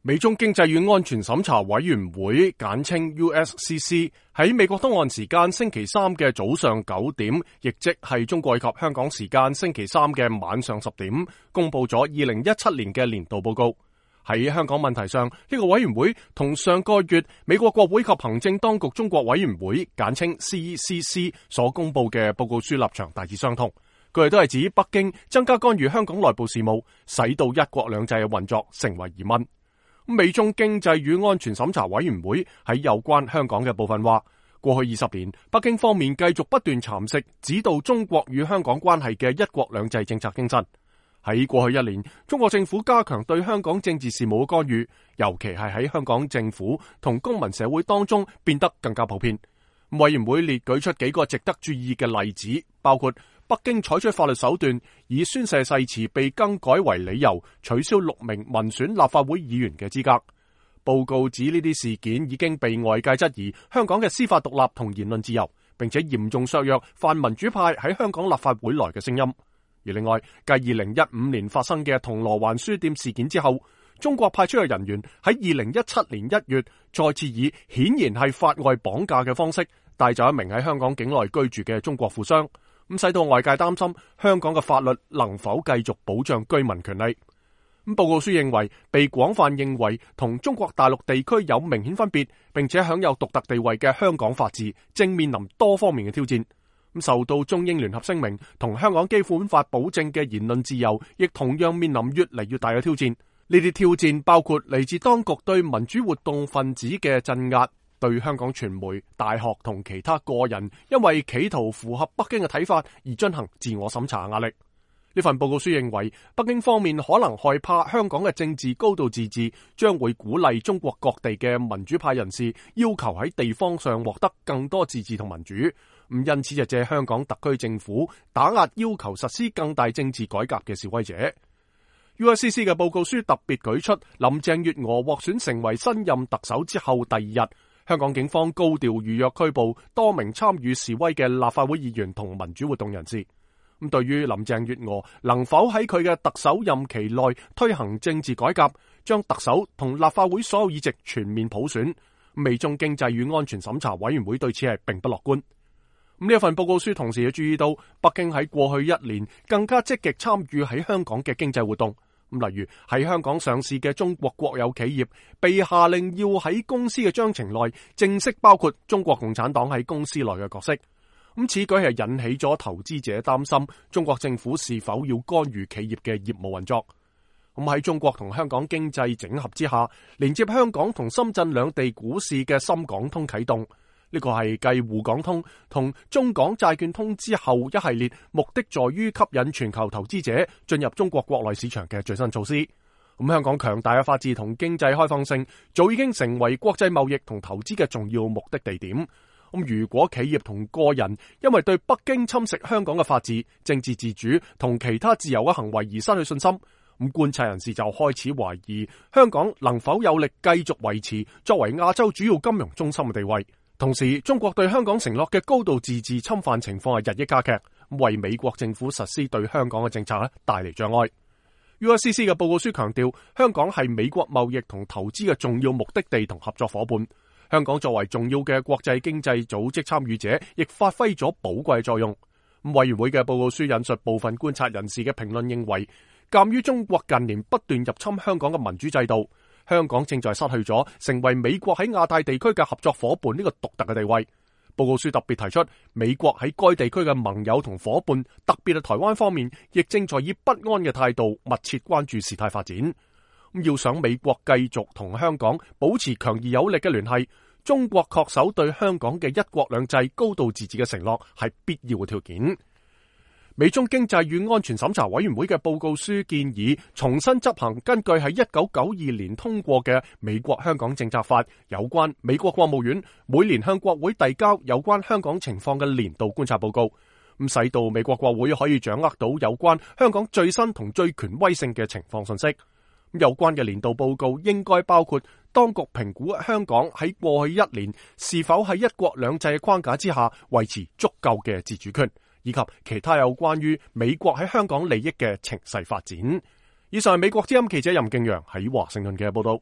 美中經濟與安全審查委員會簡稱 USCC 喺美國東岸時間星期三嘅早上9點，亦即係中國及香港時間星期三嘅晚上10點，公布咗2017年嘅年度報告。喺香港問題上，呢個委員會同上個月美國國會及行政當局中國委員會簡稱 CCC 所公布嘅報告書立場大致相同。佢哋都係指北京增加干預香港內部事務，使到一國兩制嘅運作成為疑問。美中經濟與安全審查委員會喺有關香港嘅部分話，過去20年，北京方面繼續不斷蠶食指導中國與香港關係嘅一國兩制政策精神。喺過去1年，中國政府加強對香港政治事務嘅干預，尤其係喺香港政府同公民社會當中變得更加普遍。委員會列舉出幾個值得注意嘅例子，包括北京採取法律手段，以宣誓誓詞被更改為理由，取消6名民選立法會議員嘅資格。報告指呢啲事件已經被外界質疑香港嘅司法獨立同言論自由，並且嚴重削弱泛民主派喺香港立法會內嘅聲音。而另外，繼2015年發生嘅銅鑼灣書店事件之後，中國派出嘅人員喺2017年1月再次以顯然係法外綁架嘅方式帶走一名喺香港境內居住嘅中國富商，咁使到外界擔心香港嘅法律能否繼續保障居民權利。咁報告書認為，被廣泛認為同中國大陸地區有明顯分別，並且享有獨特地位嘅香港法治，正面臨多方面嘅挑戰。咁受到中英聯合聲明同香港基本法保證嘅言論自由，亦同樣面臨越嚟越大嘅挑戰。呢啲挑戰包括嚟自當局對民主活動分子嘅鎮壓，對香港傳媒、大學同其他個人因為企圖符合北京嘅睇法而進行自我審查壓力。呢份報告書認為，北京方面可能害怕香港嘅政治高度自治將會鼓勵中國各地嘅民主派人士要求喺地方上獲得更多自治同民主，因此就借香港特區政府打壓要求實施更大政治改革嘅示威者。USCC 嘅報告書特別舉出林鄭月娥獲選成為新任特首之後第2日，香港警方高調預約拘捕多名參與示威嘅立法會議員同民主活動人士。咁對於林鄭月娥能否喺佢嘅特首任期內推行政治改革，將特首同立法會所有議席全面普選，美中經濟與安全審查委員會對此係並不樂觀。呢一份報告書同時要注意到，北京喺過去1年更加積極參與喺香港嘅經濟活動。例如喺香港上市嘅中國國有企業被下令要喺公司嘅章程內正式包括中國共產黨喺公司內嘅角色。此舉係引起咗投資者擔心中國政府是否要干預企業嘅業務運作。喺中國同香港經濟整合之下，連接香港同深圳兩地股市嘅深港通啟動。呢個係繼滬港通同中港債券通之後一系列目的在於吸引全球投資者進入中國國內市場嘅最新措施。香港強大嘅法治同經濟開放性早已經成為國際貿易同投資嘅重要目的地點。如果企業同個人因為對北京侵蝕香港嘅法治、政治自主同其他自由嘅行為而失去信心，觀察人士就開始懷疑香港能否有力繼續維持作為亞洲主要金融中心嘅地位。同時，中國對香港承諾嘅高度自治侵犯情況係日益加劇，為美國政府實施對香港嘅政策帶嚟障礙。USCC 嘅報告書強調，香港係美國貿易同投資嘅重要目的地同合作夥伴。香港作為重要嘅國際經濟組織參與者，亦發揮咗寶貴作用。委員會嘅報告書引述部分觀察人士嘅評論認為，鑒於中國近年不斷入侵香港嘅民主制度，香港正在失去咗成為美國喺亞太地區嘅合作夥伴呢個獨特嘅地位。報告書特別提出，美國喺該地區嘅盟友同夥伴，特別係台灣方面，亦正在以不安嘅態度密切關注事態發展。要想美國繼續同香港保持強而有力嘅聯繫，中國恪守對香港嘅一國兩制、高度自治嘅承諾係必要嘅條件。美中經濟與安全審查委員會嘅報告書建議重新執行根據喺1992年通過嘅美國香港政策法有關美國國務院每年向國會遞交有關香港情況嘅年度觀察報告，使到美國國會可以掌握到有關香港最新同最權威性嘅情況信息。有關嘅年度報告應該包括當局評估香港喺過去1年是否喺一國兩制嘅框架之下維持足夠嘅自主權，以及其他有關於美國喺香港利益嘅情勢發展。以上係美國之音記者任敬陽喺華盛頓嘅報道。